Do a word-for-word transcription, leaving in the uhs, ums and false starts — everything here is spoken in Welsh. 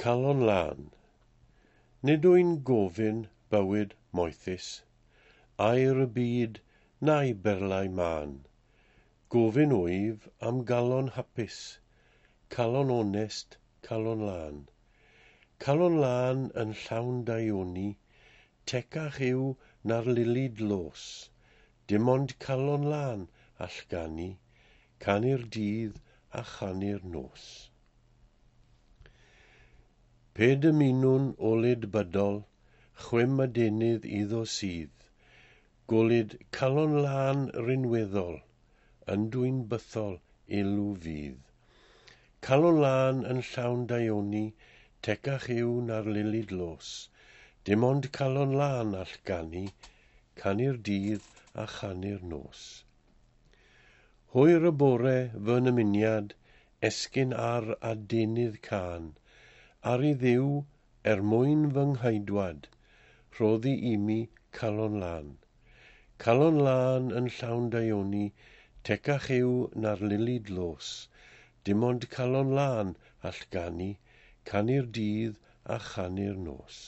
Calon lân. Nid wy'n gofyn bywyd moethus, aur y byd na'i berlau mân. Gofyn wyf am galon hapus, calon onest, calon lân. Calon lân yn llawn daioni, tecach yw na'r lili dlos. Dim ond calon lân all ganu, canu'r dydd a chanu'r nos. Pe dymunwn olud bydol, chwim adenydd iddo sydd, golud calon lân rinweddol, yn dwyn bythol elw fydd. Calon lân yn llawn daioni, tecach yw na'r lili dlos. Dim ond calon lân all ganu, canu'r dydd a chanu'r nos. Hwyr y bore fy nymuniad, esgyn ar adenydd cân, ar i Dduw, er mwyn fy nghaedwad, rhoddi i mi calon lân. Calon lân yn llawn daioni, tecach yw na'r lili dlos. Dim ond calon lân all ganu, canu'r dydd a chanu'r nos.